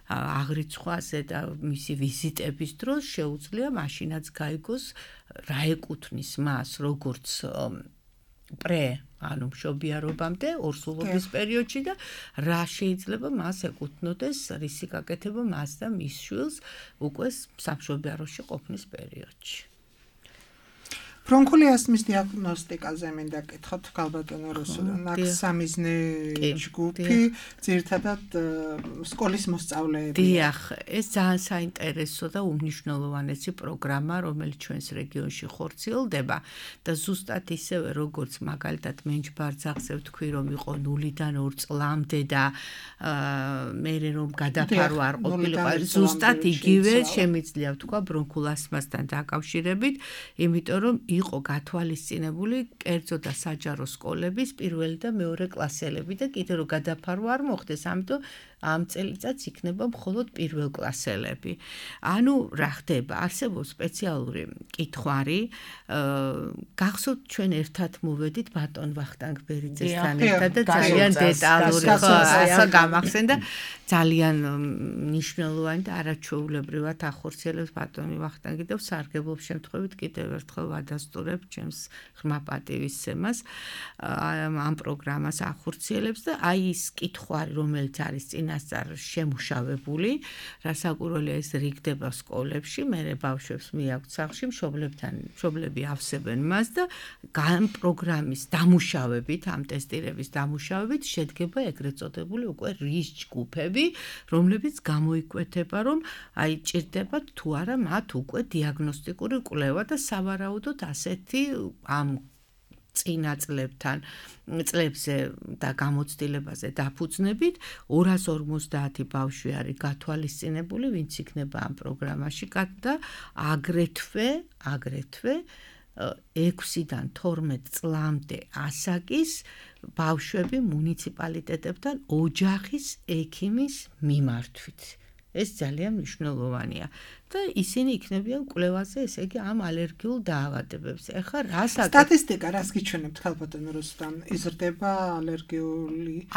აღრიცხვაზე და მისი ვიზიტების დროს შეუძლია მაშინაც გაიგოს რა ეკუთვნის მას როგორც ანუ მშობიარობამდე ორსულობის პერიოდში და რა შეიძლება მას ეკუთვნოდეს რისი გაკეთება მას და მის შვილს უკვე სამშობიაროში ყოფნის პერიოდში. ბრონქული ასთმის დიაგნოსტიკაზე მინდა კითხოთ ქალბატონო რუსუდან. აქ სამიზნე ჯგუფი, ძირითადად სკოლის მოსწავლეები. დიახ, ეს ძალიან საინტერესო და უმნიშვნელოვანესი პროგრამა, რომელიც ჩვენს რეგიონში ხორციელდება და ზუსტად ისევე როგორც მაგალითად მენჯბარძახზე ვთქვი, რომ იყო 0-დან 2 წლამდე და მე რომ გადაფარო არ ყოფილიყო, ზუსტად იგივე შემიძლია ვთქვა ბრონქულ ასთმასთან დაკავშირებით, იმიტომ რომ იყო გათვალისწინებული კერძო და საჯარო სკოლების პირველი და მეორე კლასელები და კიდევ რომ გადაფარო არ მოხდეს, ამიტომ ამ წელიწადს იქნება მხოლოდ პირველ კლასელები. ანუ რა ხდება? არსებობს სპეციალური კითხვარი, გახსოვთ ჩვენ ერთად მოვედით ბატონ ვახტანგ ბერიძესთან ერთად და ძალიან დეტალური ასე გამახსენდა ძალიან მნიშვნელოვანი და არაჩვეულებრივად ახორციელებს ბატონი ვახტანგი და სარგებლობს შემთხვევით კიდევ ერთხელ ვადასტურებ ჩემს ღრმა პატივისცემას ამ პროგრამას ახორციელებს და აი ის კითხვარი რომელიც არის წინასწარ შემუშავებული რასაკვირველია ეს რიგდება სკოლებში მე ბავშვებს მიაქვთ სახლში მშობლები ავსებენ მას და ამ პროგრამის დამუშავებით ამ ტესტირების დამუშავებით შედგება ეგრეთ წოდებული უკვე რის ჯგუფები რომლებიც გამოიკვეთება რომ აი ჭირდება თუ არა მათ უკვე დიაგნოსტიკური კვლევა და სავარაუდოდ ასეთი ამ წინა წლებზე და გამოცდილებაზე დაფუძნებით 250 ბავშვი არის გათვალისწინებული, ვინც იქნება ამ პროგრამაში და აგრეთვე 6-დან 12 წლამდე ასაკის ბავშვები მუნიციპალიტეტებთან ოჯახის ექიმის მიმართვით. ეს ძალიან მნიშვნელოვანია. და ისინი იქნებიან კვლევაზე, ესე იგი ამ ალერგიულ დაავადებებზე. ეხლა სტატისტიკა რას გიჩვენებთ ქალბატონო რუსუდან? იზრდება ალერგიული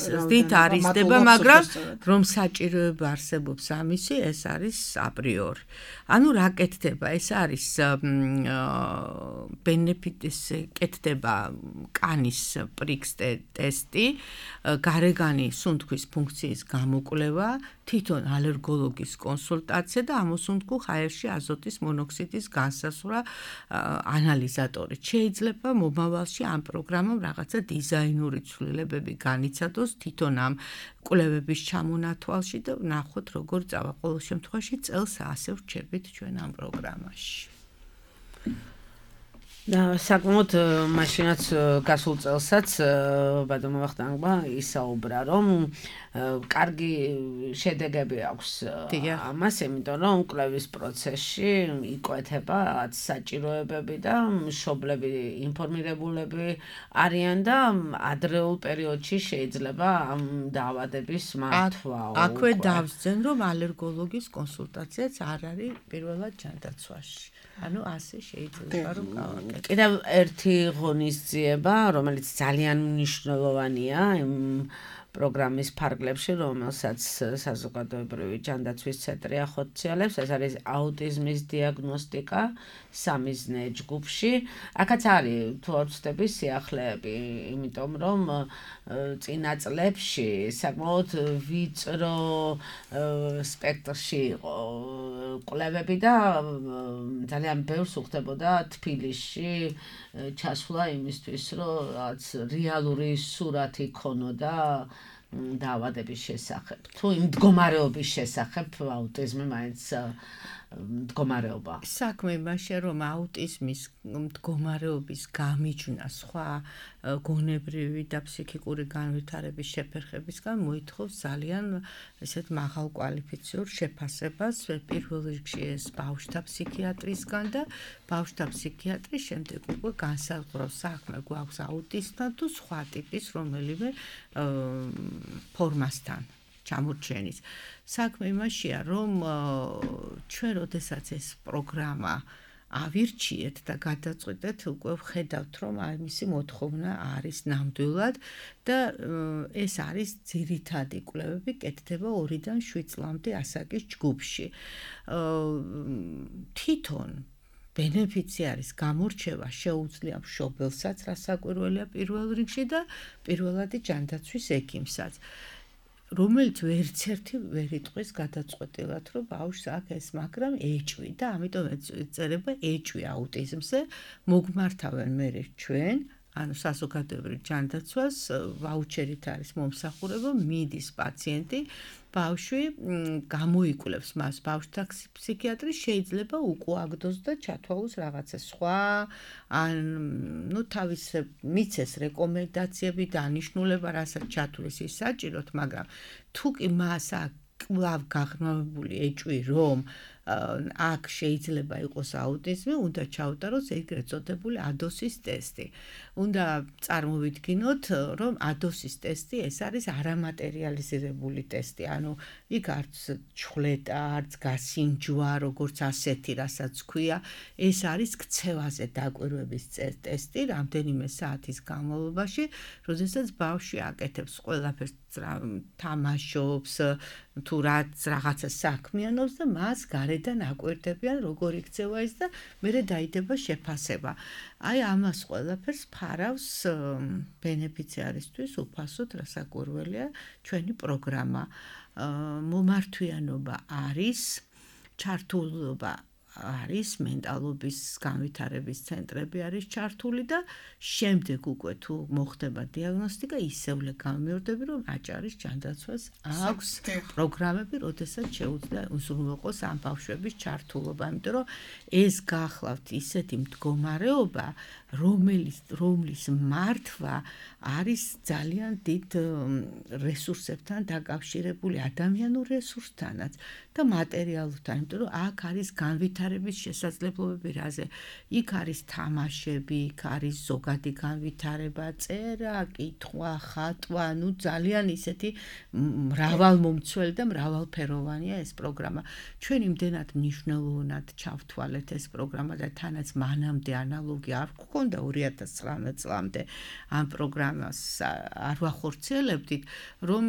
ზრდით არისდება, მაგრამ რომ საჭიროება არსებობს ამისი, ეს არის აპრიორი. ანუ რა კეთდება? ეს არის ბენეფიტის კეთდება კანის პრიქს ტესტი, გარეგანი სუნთქვის ფუნქციის გამოკვლევა, თვითონ ალერგოლოგის კონსულტაცია და ამოსუნთქულ ჰაერში აზოტის მონოქსიდის განსაზღვრა ანალიზატორით. შეიძლება მომავალში ამ პროგრამამ რაღაცა დიზაინური ცვლილებები განიცადოს თვითონ ამ კვლევების ჩამონათვალში და ნახოთ როგორ წავა. ყოველ შემთხვევაში წელს ასე ვრჩებით ჩვენ ამ პროგრამაში. და საკმაოდ მაშინაც გასულ წელსაც ბატონმა ვახტანგმა ისაუბრა რომ კარგი შედეგები აქვს ამას, იმიტომ რომ კვლევის პროცესში იკვეთება საჭიროებები და მშობლები ინფორმირებულები არიან და ადრეულ პერიოდში შეიძლება ამ დაავადების მართვა. აქვე დავსძენ რომ ალერგოლოგის კონსულტაციაც არ არის პირველად ჯანდაცვაში. ანუ ასე შეიძლება რომ კიდევ ერთი ღონისძიება, რომელიც ძალიან მნიშვნელოვანია იმ პროგრამის ფარგლებში, რომელსაც საზოგადოებრივი ჯანდაცვის ცენტრი ახორციელებს, ეს არის აუტიზმის დიაგნოსტიკა სამიზნე ჯგუფში. აქაც არის თუ არ ვცდები სიახლეები, იმიტომ რომ წინა წლებში საკმაოდ ვიწრო სპექტრში იყო კვლევები და ძალიან ბევრს უხდებოდა თბილისში ჩასვლა იმისთვის, რომ რაც რეალური სურათი ქონოდა დაავადების შესახებ. თუ იმ მდგომარეობის შესახებ აუტიზმი მაინც მდგომარეობა. საქმე იმაშია, რომ აუტიზმის მდგომარეობის გამიჯვნა სხვა გონებრივი და ფსიქიკური განვითარების შეფერხებისგან მოითხოვს ძალიან ესეთ მაღალ კვალიფიციურ შეფასებას, პირველ რიგში ეს ბავშვთა ფსიქიატრისგან და ბავშვთა ფსიქიატრის შემდეგ უკვე განსაზღვრავს საქმე გვაქვს აუტიზმთან თუ სხვა ტიპის რომელიმე ფორმასთან ჩამორჩენის. საქმე იმაშია, რომ ჩვენ როდესაც ეს პროგრამა ავირჩიეთ და გადაწყვეტეთ, უკვე ვხედავთ, რომ მისი მოთხოვნა არის ნამდვილად და ეს არის ძირითადი კვლევები კეთდება 2-დან 7 წლამდე ასაკის ჯგუფში. თვითონ ბენეფიციარის გამორჩევა შეუძლია მშობელსაც, რასაკვირველია პირველ რიგში და პირველადი ჯანდაცვის ექიმსაც. რომელიც ვერცერთი ვერ იტყვის გადაწყვეტილად, რომ ბავშვს აქვს ეს, მაგრამ ეჭვი და ამიტომ ეწერება ეჭვი აუტიზმზე, მოგმართავენ მერე ჩვენ, ანუ საზოგადოებრივ ჯანდაცვას ვაუჩერით არის მომსახურება, მიდის პაციენტი, ბავშვი გამოიკვლევს მას ბავშვთა ფსიქიატრი შეიძლება უკუაგდოს და ჩათვალოს რაღაცა სხვა, ან თავის მიცეს რეკომენდაციები და ანიშნულება, რასაც ჩათვლის ის საჭიროთ, მაგრამ თუ კი მას კვლავ გაღრმავებული ეჭვი, რომ აქ შეიძლება იყოს აუტიზმი, უნდა ჩაუტაროს ეგრეთ წოდებული ADOS-ის ტესტი. უნდა წარმოვიდგინოთ, რომ ADOS-ის ტესტი ეს არის არამატერიალიზირებული ტესტი, ანუ იქ არც ჩხლეტა, არც გასინჯვა, როგორც ასეთი, რასაც ქვია, ეს არის ქცევაზე დაკვირვების ტესტი, რამდენიმე საათის განმავლობაში, როდესაც ბავშვი აკეთებს ყველაფერს, თამაშობს, თუ რაღაცა საქმიანობს და მას გარედან აკვირდებიან, როგორ იქცევა ის და მერე დაიდება შეფასება. აი ამას ყველაფერს ფარავს ბენეფიციარისთვის უფასოდ, რასაკვირველია ჩვენი პროგრამა. მომართვიანობა არის, ჩართულობა არის, მენტალობის განვითარების ცენტრები არის ჩართული და შემდეგ უკვე თუ მოხდება დიაგნოსტიკა, ისევლე გამიორდები, რომ აჭარის ჯანდაცვას აქვს პროგრამები, როდესაც შეუძლია უზრუნველყოს ამ ბავშვების ჩართულობა, იმიტომ რომ ეს გახლავთ ისეთი მდგომარეობა, რომლის მართვა არის ძალიან დიდ რესურსებთან დაკავშირებული, ადამიანურ რესურსთანაც და მატერიალურთან, იმიტომ რომ აქ არის განვითარების შესაძლებლობები რაზე. იქ არის თამაშები, იქ არის ზოგადი განვითარება, წერა, კითხვა, ხატვა, ძალიან ისეთი მრავალმომცველი და მრავალფეროვანია ეს პროგრამა. ჩვენ იმდენად მნიშვნელოვნად ჩავთვალეთ ეს პროგრამა და თანაც მანამდე ანალოგი არ გქონდა 2019 წლამდე ამ პროგრამას არ ვახორციელებდით, რომ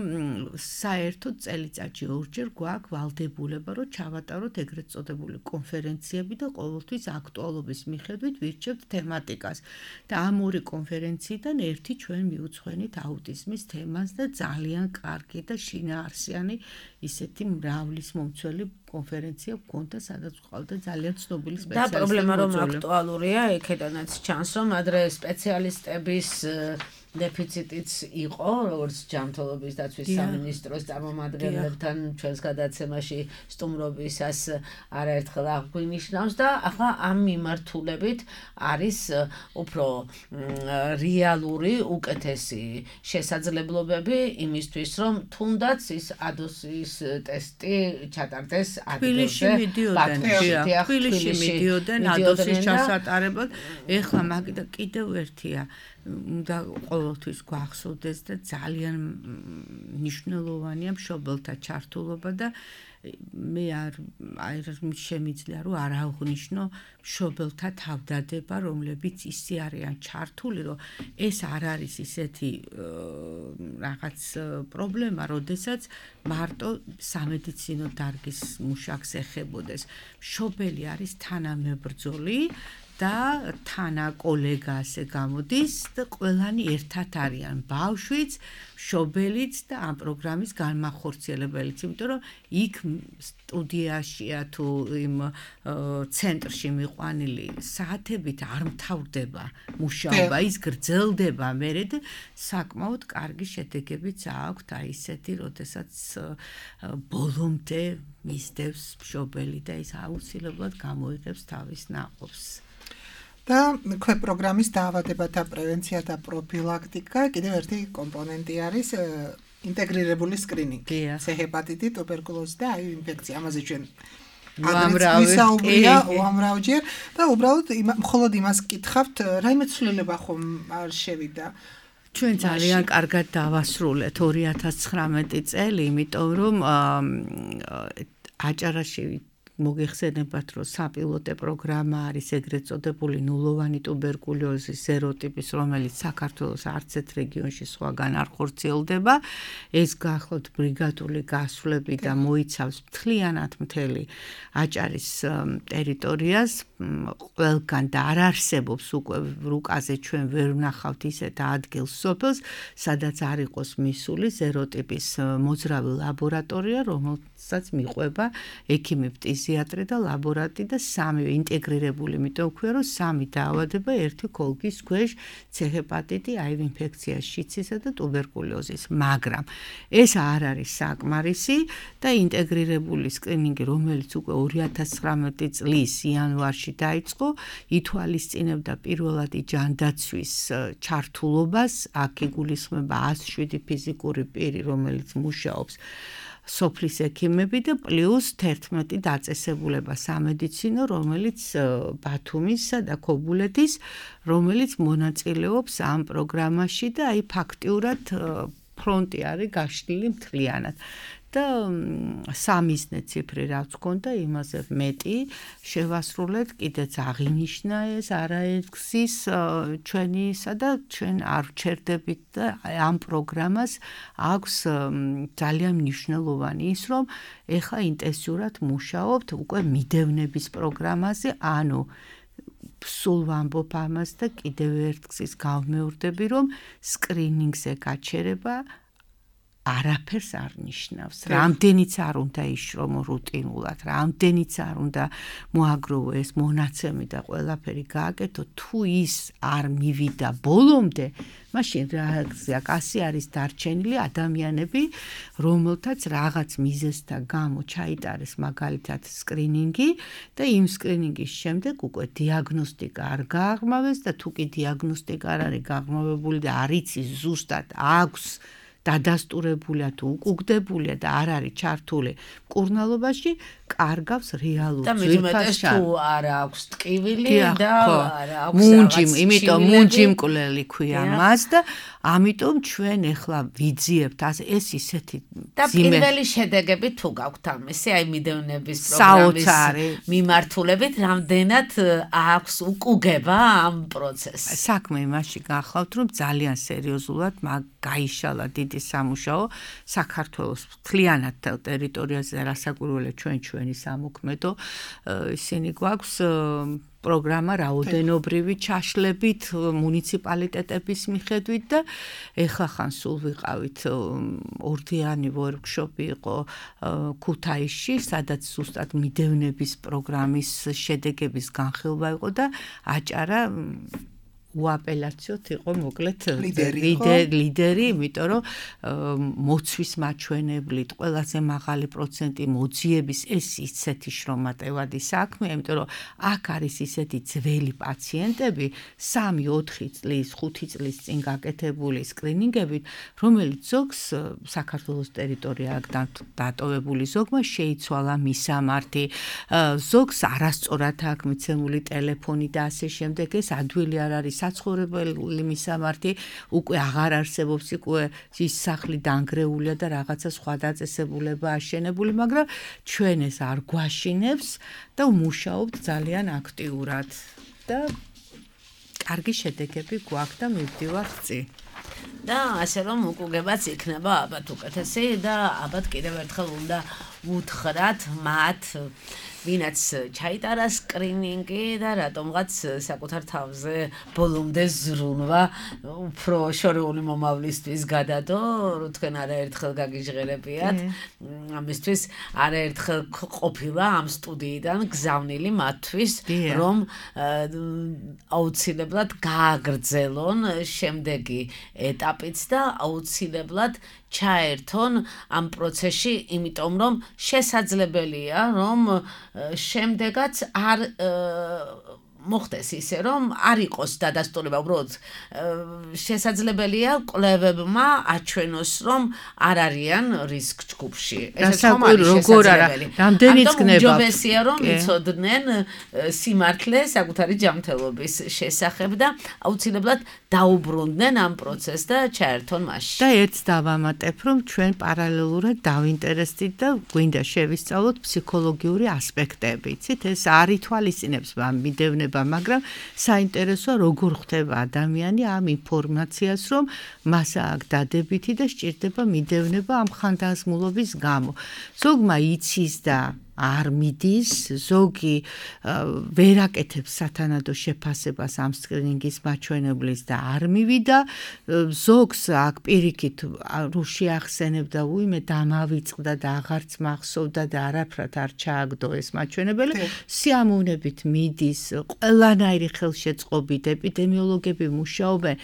საერთოდ წელიწადში ორჯერ გვაქვს ვალდებულება, რომ ჩავატაროთ ეგრეთ წოდებული კონფერენციები და ყოველთვის აქტუალობის მიხედვით ვირჩევთ თემატიკას. და ამ ორი კონფერენციიდან ერთი ჩვენ მიუძღვენით აუტიზმის თემას და ძალიან კარგი და შინაარსიანი ისეთი მრავლის მომცველი კონფერენცია გქონდა, სადაც ყავდა ძალიან ცნობილი სპეციალისტები. და პრობლემა რომ აქტუალურია, იქედანაც ჩანს, რომ ადრე სპეციალისტების დეფიციტიც იყო, როგორც ჯანმრთელობის დაცვის სამინისტროს წარმომადგენლებთან ჩვენს გადაცემაში სტუმრობისას არაერთხელ აღვნიშნავს და ახლა ამ მიმართულებით არის უფრო რეალური, უკეთესი შესაძლებლობები იმისთვის, რომ თუნდაც ის ADOS-ის ტესტი ჩატარდეს ადგილზე. თბილისში მიდიოდნენ ADOS-ის ჩასატარებლად. ეხლა კიდევ ერთია უნდა ყოველთვის გვახსოვდეს და ძალიან მნიშვნელოვანია მშობელთა ჩართულობა და მე არ შემიძლია რომ არ აღვნიშნო მშობელთა თავდადება, რომლებიც ისე არიან ჩართული, რომ ეს არ არის ისეთი რაღაც პრობლემა, როდესაც მარტო სამედიცინო დარგის მუშაკს ეხებოდეს. მშობელი არის თანამებრძოლი და თანა კოლეგა ასე გამოდის და ყველანი ერთად არიან ბავშვიც, მშობელიც და ამ პროგრამის განმახორციელებელიც, იმიტომ რომ იქ სტუდიაშია თუ იმ ცენტრში მიყვანილი საათებით არ მთავრდება მუშაობა, ის გრძელდება მერე და საკმაოდ კარგი შედეგებიც აქვს აი ისეთი, როდესაც ბოლომდე მისდევს მშობელი და ის აუცილებლად გამოიღებს თავის ნაყოფს. და ქვე პროგრამის დაავადებათა პრევენცია და პროფილაქტიკა კიდევ ერთი კომპონენტი არის ინტეგრირებული სკრინინგი. C-ჰეპატიტი, ტუბერკულოზი და HIV ინფექცია. ამაზე ჩვენ უამრავჯერ და უბრალოდ მხოლოდ იმას გკითხავთ, რაიმე ცვლილება ხომ არ შევიდა. ჩვენ ძალიან კარგად დავასრულეთ 2019 წელი, იმიტომ რომ აჭარაში მოგეხსენებათ, რომ საპილოტე პროგრამა არის ეგრეთ წოდებული ნულოვანი ტუბერკულოზის სეროტიპის, რომელიც საქართველოს არც ერთ რეგიონში სხვაგან არ ხორციელდება. ეს გახლავთ ბრიგადული გასვლები და მოიცავს მთლიანად მთელი აჭარის ტერიტორიას. ყველგან და არ არსებობს უკვე რუკაზე ჩვენ ვერ ვნახავთ ისეთ ადგილს სოფელს, სადაც არ იყოს მისული სეროტიპის მოძრავი ლაბორატორია, რომელსაც მიყვება ექიმი ფტიზიატრი და ლაბორანტი და სამივე ინტეგრირებული, იმიტომ ვქვია, რომ სამი დაავადება ერთი ქოლგის ქვეშ, C-ჰეპატიტი, HIV ინფექცია, შიცისა და ტუბერკულოზის, მაგრამ ეს არ არის საკმარისი და ინტეგრირებული სკრინინგი, რომელიც უკვე 2019 წლის იანვარში დაიწყო, ითვალისწინებდა პირველადი ჯანდაცვის ჩართულობას, აქ იგულისხმება 107 ფიზიკური პირი, რომელიც მუშაობს სოფლის ექიმები და პლუს 11 დაწესებულება სამედიცინო, რომელიც ბათუმისა და ქობულეთის, რომელიც მონაწილეობს ამ პროგრამაში და აი ფაქტიურად ფრონტი არის გაშლილი მთლიანად. და სამიზნე ციფრი რაც გქონდა, იმაზე მეტი შევასრულეთ, კიდეც აღინიშნა ეს არაერთგზის ჩვენისა და ჩვენ არ ვჩერდებით და ამ პროგრამას აქვს ძალიან მნიშვნელოვანი ის, რომ ეხლა ინტენსიურად მუშაობთ უკვე მიდევნების პროგრამაზე, ანუ სულ ვამბობ ამას და კიდევ ერთგზის გავმეორდები, რომ სკრინინგზე გაჩერება არაფერს არ ნიშნავს. რამდენიც არ უნდა იშრომო რუტინულად, რამდენიც არ უნდა მოაგროვო ეს მონაცემი და ყველაფერი გააკეთო, თუ ის არ მივიდა ბოლომდე, მაშინ რეაქცია კასი არის დარჩენილი ადამიანები, რომელთაც რაღაც მიზეზთა გამო ჩაიტარეს მაგალითად სკრინინგი და იმ სკრინინგის შემდეგ უკვე დიაგნოსტიკა არ გააღრმავეს და თუ კი დიაგნოსტიკა არ არის გააღრმავებული და არ იცის ზუსტად აქვს დადასტურებულია თუ უკუგდებულია და არ არის ჩართული მკურნალობაში, კარგავს რეალურ ძვირფას თუ არ აქვს ტკივილი და არ აქვს მუნჯი, იმიტომ მუნჯიმკვლელი ქვია მას და ამიტომ ჩვენ ახლა ვიძიებთ ეს ისეთი და პირველი შედეგები თუ გაქვთ ამისი, აი მიდევნების პროგრამის მიმართულებით, რამდენად აქვს უკუგება ამ პროცესს. საქმე იმაში გახლავთ, რომ ძალიან სერიოზულად გაიშალა დიდი სამუშაო საქართველოს მთლიანად ტერიტორიაზე რასაკვირველია ჩვენი სამოქმედო ისინი გვაქვს პროგრამა რაოდენობრივი ჩაშლებით მუნიციპალიტეტების მიხედვით და ეხლა ხან სულ ვიყავით ორდიანი ვორქშოპი იყო ქუთაისში, სადაც ზუსტად მიდევნების პროგრამის შედეგების განხილვა იყო და აჭარა უაპელაციოთ იყო მოკლედ ლიდერი, იმიტომ რომ მოცვის მაჩვენებლით ყველაზე მაღალი პროცენტი მოძიების ეს ისეთი შრომატევადი საქმეა, იმიტომ რომ აქ არის ისეთი ძველი პაციენტები, 3-4 წლის, 5 წლის წინ გაკეთებული სკრინინგებით, რომელიც ზოგს საქართველოს ტერიტორია აქ დატოვებული ზოგმა შეიცვალა მისამართი, ზოგს არასწორად აქვს მიცემული ტელეფონი და ასე შემდეგ, ეს ადვილი არ არის საცხოვრებელი მისამართი უკვე აღარ არსებობს, უკვე ის სახლი დანგრეულია და რაღაცა სხვა დაწესებულება აშენებული, მაგრამ ჩვენ ეს არ გვაშინებს და ვმუშაობთ ძალიან აქტიურად და კარგი შედეგები გვაქვს და მივდივართ წინ. და ასე რომ უკუგებაც იქნება ალბათ უკეთესი და ალბათ კიდევ ერთხელ უნდა უთხრათ მათ ვინაც ჩაიტარა სკრინინგი და რატომღაც საკუთარ თავზე ბოლომდე ზრუნვა უფრო შორეული მომავლისთვის გადადო, თქვენ არაერთხელ გაგიჟღერებიათ, ამისთვის არაერთხელ ყოფილა ამ სტუდიიდან გზავნილი მათთვის, რომ აუცილებლად გააგრძელონ შემდეგი ეტაპიც და აუცილებლად ჩაერთონ ამ პროცესში, იმიტომ რომ შესაძლებელია, რომ შემდეგაც არ მოხდეს ისე, რომ არ იყოს დადასტურება, უბრალოდ შესაძლებელია კვლევებმა აჩვენოს, რომ არ არიან რისკ ჯგუფში. ესეც ხომ არის შესაძლებელი. რამდენიც გნებავთ. უმჯობესია, რომ იცოდნენ სიმართლე საკუთარი ჯანმრთელობის შესახებ და აუცილებლად დაუბრუნდნენ ამ პროცესს და ჩაერთონ მასში. და ერთს დავამატებ, რომ ჩვენ პარალელურად დავინტერესდით და გვინდა შევისწავლოთ ფსიქოლოგიური ასპექტები. იცით, ეს არ ითვალისწინებს მიდევნება, მაგრამ საინტერესოა როგორ ხდება ადამიანი ამ ინფორმაციას, რომ მას აქვს დადებითი და სჭირდება მიდევნება ამ ხანდაზმულობის გამო. ზოგმა იცის და არ მიდის, ზოგი ვერ აკეთებს სათანადო შეფასებას ამ სკრინინგის მაჩვენებლის და არ მივიდა, ზოგს აქ პირიქით რუში ახსენებდა, უიმე დამავიწყდა და აღარც მახსოვდა და არაფრად არ ჩააგდო ეს მაჩვენებელი, სიამოვნებით მიდის, ყველანაირი ხელშეწყობით ეპიდემიოლოგები მუშაობენ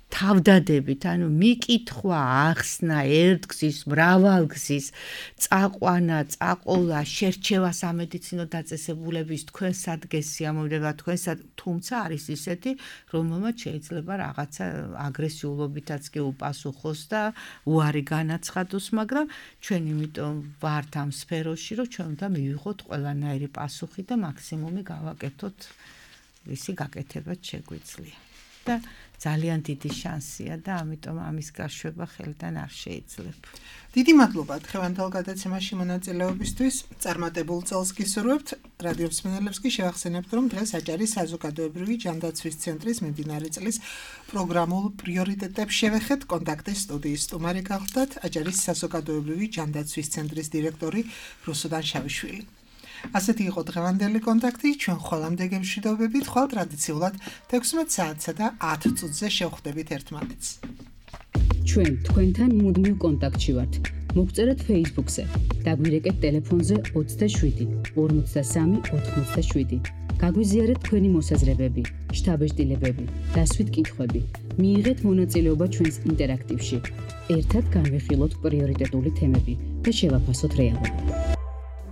თავდადებით, ანუ მიკითხვა, ახსნა, ერთგზის, მრავალგზის, წაყვანა, წაყოლა, შერჩევა სამედიცინო დაწესებულების თქვენ სადგეს სიამოვნება თქვენსად, თუმცა არის ისეთი, რომელმაც შეიძლება რაღაცა აგრესიულობითაც კი უპასუხოს და უარი განაცხადოს, მაგრამ ჩვენ იმიტომ ვართ ამ სფეროში, რომ ჩვენ უნდა მივიღოთ ყველანაირი პასუხი და მაქსიმუმი გავაკეთოთ, ვისი გაკეთებაც შეგვიძლია. და ძალიან დიდი შანსია და ამიტომ ამის გაშვება ხელიდან არ შეიძლება. დიდი მადლობა დღევანდელ გადაცემაში მონაწილეობისთვის. წარმატებულ წელს გისურვებთ. რადიო მსმენელებს კი შევახსენებთ, რომ დღეს აჭარის საზოგადოებრივი ჯანდაცვის ცენტრის მიმდინარე წლის პროგრამულ პრიორიტეტებს შევეხეთ. კონტაქტის სტუდიის სტუმარი გახლდათ აჭარის საზოგადოებრივი ჯანდაცვის ცენტრის დირექტორი რუსუდან შავიშვილი. ასეთი იყო დღევანდელი კონტაქტი, ჩვენ ხოლამდე გემშვიდობებით, ხვალ ტრადიციულად 16 საათსა და 10 წუთზე შევხვდებით ერთმანეთს. ჩვენ თქვენთან მუდმივ კონტაქტში ვართ. მოგწერეთ Facebook-ზე, დაგვირეკეთ ტელეფონზე 27 53 87. გაგვიზიარეთ თქვენი მოსაზრებები, შთაბეჭდილებები, დასვით კითხვები. მიიღეთ მონაწილეობა ჩვენს ინტერაქტივში. ერთად განვიხილოთ პრიორიტეტული თემები და შევაფასოთ რეალობა.